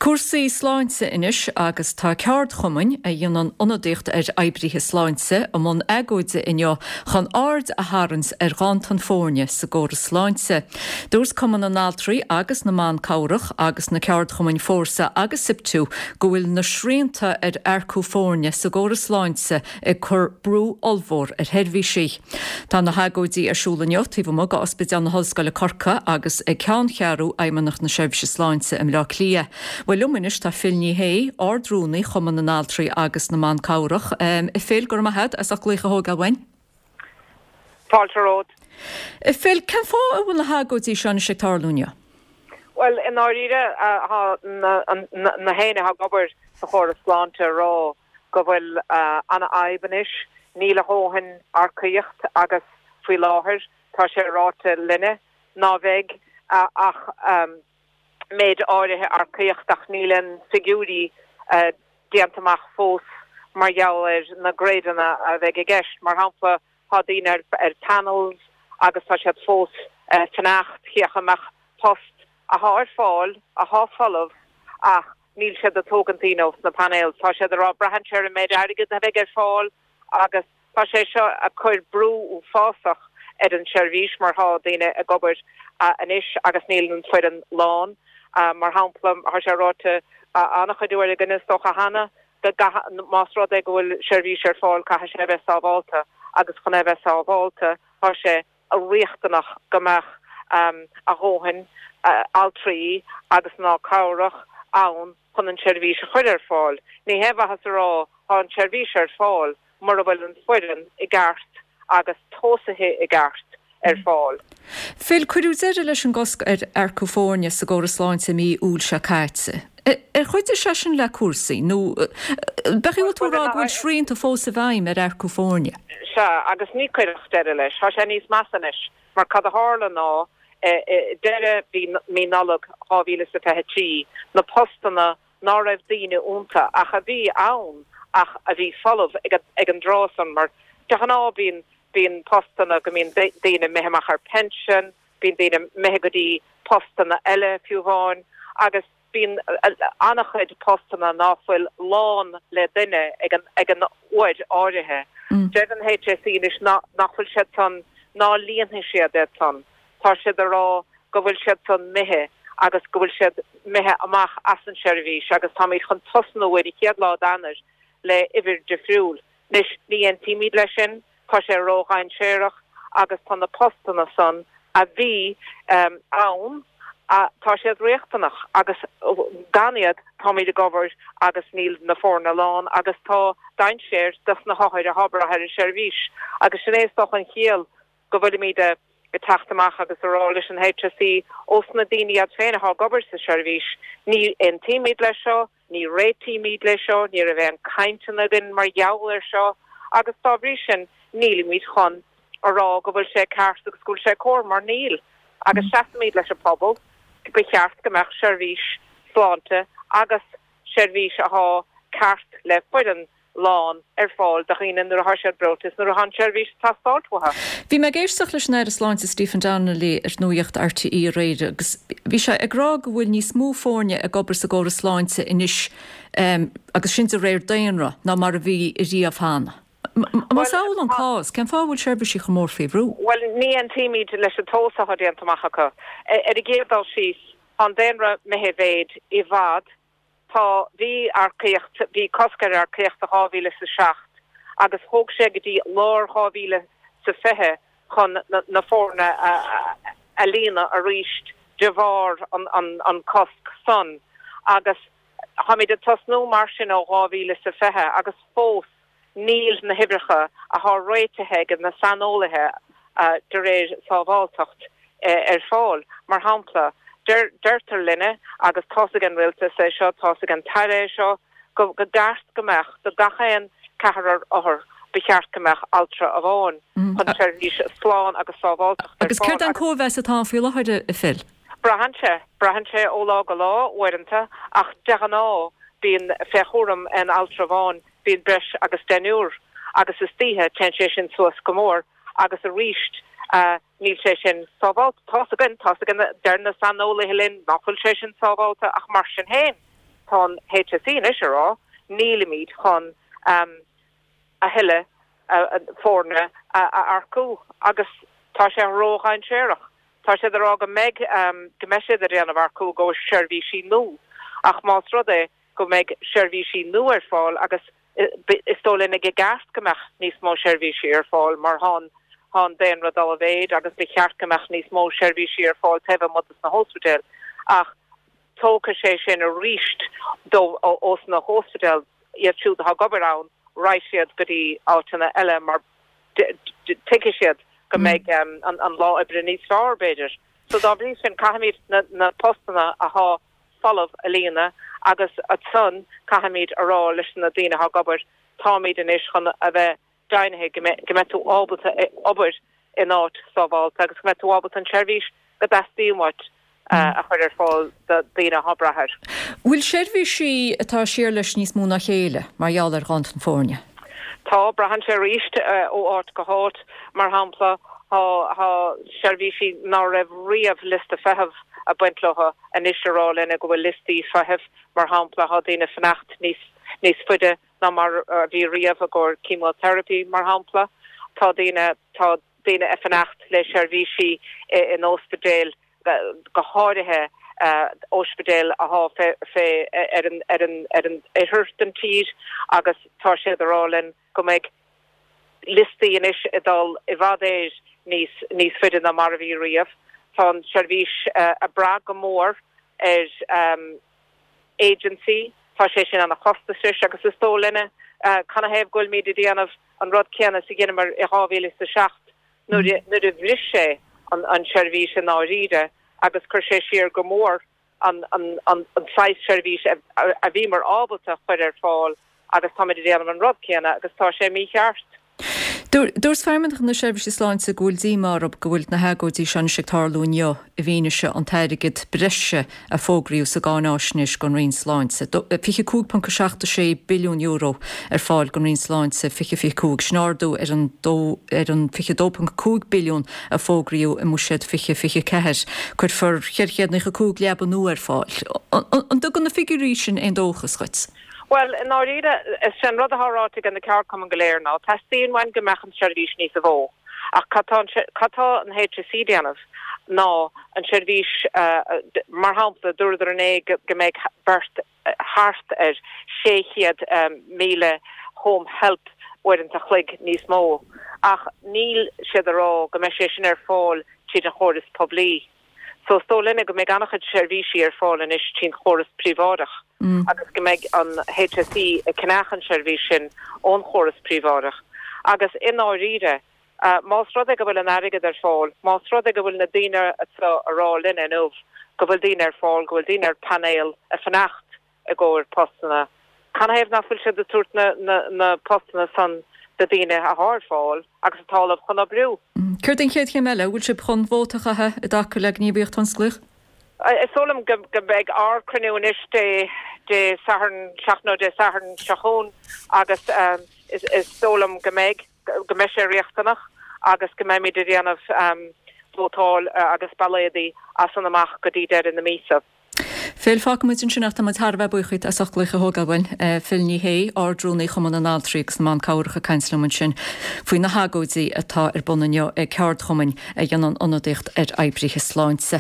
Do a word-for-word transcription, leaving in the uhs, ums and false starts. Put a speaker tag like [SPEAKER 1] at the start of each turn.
[SPEAKER 1] Cúrsaí sláinte anois agus tá ceardchumainn a dhéanann ionadaíocht ar oibrithe sláinte i mbun agóide inniu chun aird a tharraingt ar ghanntan foirne sa gcóras sláinte. Dúirt Cumann na nAltraí agus na mBan Cabhrach agus na ceardchumainn Fórsa agus SIPTU go bhfuil na srianta ar earcú foirne sa gcóras sláinte ag cur brú ollmhór ar sheirbhísí. Tá na hagóidí ar siúl inniu taobh amuigh d'Ospidéal na hOllscoile Corcaigh agus ag ceanncheathrú Fheidhmeannacht na Seirbhíse Sláinte i mBleá Cliath. Well liom anois tá Phil Ní Sheaghdha, Ard-Rúnaí Chumann na nAltraí agus na mBan Cabhrach. Um, Phil go raibh maith agat as glaoch a thógáil uainn?
[SPEAKER 2] Fáilte romhat.
[SPEAKER 1] Phil, cén fáth a bhfuil na hagóidí seo ag tarlú inniu?
[SPEAKER 2] Well in áiríre na héine ha gobar sa chóras sláinte rá go bhfuil an-fhadhb anois níl a dhóthain earcaíocht agus faoi láthair tá sé ráite linne ná bheidh ach um, méid áirithe earcaíocht ach níl an figiúirí uh, déanta amach fós mar gheall ar na gréadanna a bheidh i gceist mar shampla tá daoine ar, ar panels agus tá siad fós uh, fanacht cé amach post atá ar fáil atá folamh ach níl siad ag tógaint daoine sna panels tá siad rá braitheann sé ar an méid airgid a bheidh ar fáil agus tá sé seo ag cur brú uafásach ar an seirbhís mar tá daoine ag obair anois agus níl an foireann lán. Uh, mar shampla tá sé ráite an-chuid uair againn is dócha cheana go más rud é go bhfuil seirbhís ar fáil caithfidh sé bheith sábháilte agus chun é bheith sábháilte tá sé riachtanach go mbeadh um, a dhóthain uh, altraí agus mná cabhrach ann chun an seirbhís a chur ar fáil. Ní hé mhaitheas a rá tá an seirbhís ar fáil mura bhfuil an foireann i gceart agus tosaithe i gceart ar fáil.
[SPEAKER 1] Phil cuireadh deireadh leis an gcosc ar earcú foirne sa gcóras sláinte mí Iúil seo caite. Ar chuidigh sé sin le cúrsaí nó b'fhéidir tú rá go bhfuil srianta fós i bhfeidhm ar earcú foirne.
[SPEAKER 2] Sea agus ní cuireadh deireadh leis, Tá sé níos measa anois, mar cad a tharla ná deireadh bhí mí Nollag dhá mhíle sa fiche trí na postanna ná raibh daoine iontu ach a bhí ann ach a bhí folamh ag ag an dtráth san mar de ghnáth bíonn bíonn postanna go mbíonn daoine imithe amach ar pension, bíonn daoine imithe go dtí postanna eile fiú amháin agus bíonn an-chuid postanna ná fuil lán le duine ag an ag an uair áirithe. Mm. Deir an HSE anois nach bhfuil siad san ná líonfaidh siad é san. Tá siad a rá go bhfuil siad san imithe agus go bhfuil siad imithe amach as an seirbhís agus táimid chun tosnú ar an chéad lá d'Eanáir le uimhir difriúil. Anois ní aontaímid leis sin, tá sé ródhainséarach agus tá na postanna san a bhí um, ann tá siad riachtanach agus gan iad táimid ag obair agus níl na foirne lán agus tá dainséar dos na hothair atá ag brath ar an seirbhís agus sin é an chiall go bhfuilimid ag teacht amach agus a rá leis an HSE ós na daoine iad féin atá ag obair sa seirbhís ní aontaímid leis seo, ní réitímid leis seo, ní raibh aon chainteanna againn mar gheall ar seo agus dá bhrí sin nílimid chun a rá go bhfuil sé ceart agus go bhfuil sé cóir mar níl agus seasaimid leis an pobal ba cheart go mbeadh seirbhís sláinte agus seirbhís atá ceart le foireann lán ar fáil do dhaoine nuair atá siad breoite nuair atá an seirbhís ag teastáil uathu.
[SPEAKER 1] Bhí mé ag éisteacht leis an Aire Sláinte Stephen Donnelly ar nuacht RTÉ aréir agus bhí sé ag rá go bhfuil níos mó foirne ag obair sa gcóras sláinte anois um, agus sin de réir daonra ná mar a bhí riamh cheana. Más amhlaidh an cás, cén fáth bhfuil seirbhísí chomh mór faoi bhrú?
[SPEAKER 2] Well ní aontaímid leis an tomhas atá déanta amach acu. Ar an gcéad dul síos an daonra imithe i méid i bhfad, tá bhí earcaíocht bhí cosc ar earcaíocht dhá mhíle sa seacht agus thóg sé go dtí lár dhá mhíle sa fiche chun na, na foirne a, a, a líonadh arís de bharr an, an, an cosc san agus táimid ag tosnú mar sin ó dhá mhíle sa fiche agus fós níl na huimhreacha atá réitithe ag na saineolaithe uh, de réir sábháilteacht uh, ar fáil mar shampla deirtear linne agus tá an rialtas é seo tá an tAire seo go go gceart go mbeadh do gach aon ceathrar othar ba cheart go mbeadh altra amháin mm. chun seirbhís slán agus sábháilteacht
[SPEAKER 1] Agus céard an cóimheas atá faoi láthair a Phil?
[SPEAKER 2] Braitheann sé braitheann sé ó lá go lá uaireanta ach de ghnáth bíonn fé chúram an altra amháin bíonn breis agus deichniúr agus istoíche téann sé sin suas go mór agus arís uh, níl sé sin sábháilte tá againn tá againn deir na saineolaithe linn nach bhfuil sé sin sábháilte ach mar sin féin. tá an HSE anois ag rá nílimid chun um, a thuilleadh foirne a earcú agus tá sé ródhainséarach. Tá sé rá go mbeidh um, go mbeidh siad ag déanamh earcú go seirbhísí nua ach más rud é go mbeidh seirbhísí nua ar fáil agus is dóigh linn i gceart go mbeadh níos mó seirbhísí ar fáil mar tá an daonra ag dul i méid agus ba cheart go mbeadh níos mó seirbhísí ar fáil taobh amuigh de na hospidéil ach tógfaidh sé sin arís ós na hospidéil iad siúd atá ag obair ann raghaidh siad go dtí áiteanna eile mar tuigfidh siad go mm. mbeidh um, an, an lá oibre níos fearr b'fhéidir. So dá bhrí sin caithfimid na, na postanna atá folamh a líonadh agus ansan caithfimid a rá leis na daoine atá ag obair táimid anois chun a bheith deimhnithe go mbeidh tú ábalta obair in áit sábháilte agus go mbeidh tú ábalta an tseirbhís go dteastaíonn uait a chur ar fáil do daoine atá ag brath air.
[SPEAKER 1] Bhfuil seirbhísí atá siar leis níos mó ná a chéile mar gheall ar ghanntan foirne.
[SPEAKER 2] Tá braitheann sé arís ó áit go háit mar shampla tá seirbhísí ná raibh riamh liosta feithimh ag baint leo anois ag rá linn go bhfuil liostaí feithimh mar shampla tá daoine ag fanacht níos níos faide ná mar a bhí riamh i gcomhair chemotherapy mar shampla tá daoine tá daoine ag fanacht le seirbhísí in ospidéil go háirithe ospidéil atá fé ar an ar an ar an oirthear den tír agus tá sé ag rá linn go mbeidh liostaí anois ag dul i bhfad éis níos níos faide ná mar a bhí riamh. Tá an seirbhís uh, ag brath go mór ar um, agency Tá sé sin an-chostasach agus is dóigh linne uh, canathaobh go bhfuilimid ag déanamh an rud céanna is a dheineamar i dhá mhíle is a seacht nuair nuair a bhris sé an an seirbhís i ndáiríre agus chuir sé siar go mór an an an an saghas seirbhís a, a, a bhíomar ábalta chur ar fáil agus táimid ag déanamh an rud céanna agus tá sé mícheart.
[SPEAKER 1] Dúirt Feidhmeannacht na Seirbhíse Sláinte go bhfuil díomá orthu go bhfuil na hagóidí seo ag tarlú inniu i bhfianaise an t-airgead breise a fógraíodh sa gcáináisnéis don Roinn Sláinte. fiche cúig ponc seacht sé billiún euro ar fáil don Roinn Sláinte fiche fiche cúig sin ardú ar an ar an fiche dó ponc cúig billiún a fógraíodh i mbuiséad fiche fiche ceathair. Cuirfear ceithre chéad nócha cúig leaba nua ar fáil. An dtugann na figiúirí sin aon dóchas dhuit?
[SPEAKER 2] Well in áiríre is sin rud atá ráite ag na ceardchumainn go léir ná teastaíonn uainn go mbeadh an seirbhís níos mó. Ach cad tá an HSE ag déanamh ná an seirbhís uh, mar shampla dúradar inné go mbeidh beirt thart ar sé chéad um, míle home help uaireanta an chloig níos mó. Ach níl siad ag rá go mbeidh sé sin ar fáil tríd an chóras poiblí. So is dóigh linne go mbeidh an-chuid seirbhísí ar fáil anois tríd an chóras príobháideach. Mm. agus go mbeidh an HSE ag ceannach an seirbhís sin ón chóras príobháideach. Agus i ndáiríre, uh, más rud é go bhfuil an airgead ar fáil, más rud é go bhfuil na daoine atá ag rá linn inniu, go bhfuil daoine ar fáil, go bhfuil daoine ar painéal ag fanacht i gcomhair postanna. Canathaobh nach bhfuil siad ag tabhairt na, na, na postanna san do daoine atá ar fáil agus atá ullamh chun oibriú.
[SPEAKER 1] Mm. Céard an chéad chéim eile bhfuil sibh chun vóta a chaitheamh i dtaca le gníomhaíocht thionsclaíoch?
[SPEAKER 2] Is dóigh liom go go mbeidh ár gcruinniú anois Dé Dé Sathairn seachtain ó Dé Sathairn seo chugainn agus um, is, is dóigh liom go mbeidh go mbeidh sé riachtanach agus go mbeimid ag déanamh um, vótáil uh, agus ballóidí as an amach go dtí deireadh na míosa.
[SPEAKER 1] Phil fágfaimid ansin é táimid thar a bheith buíoch as ucht glaoch a thógáil uainn Phil Ní Sheaghdha Ard-Rúnaí Chumann na nAltraí agus na mBan Cabhrach ag caint liom ansin faoi na hagóidí atá ar bun inniu ag ceardchumainn a dhéanann ionadaíocht ar oibrithe sláinte.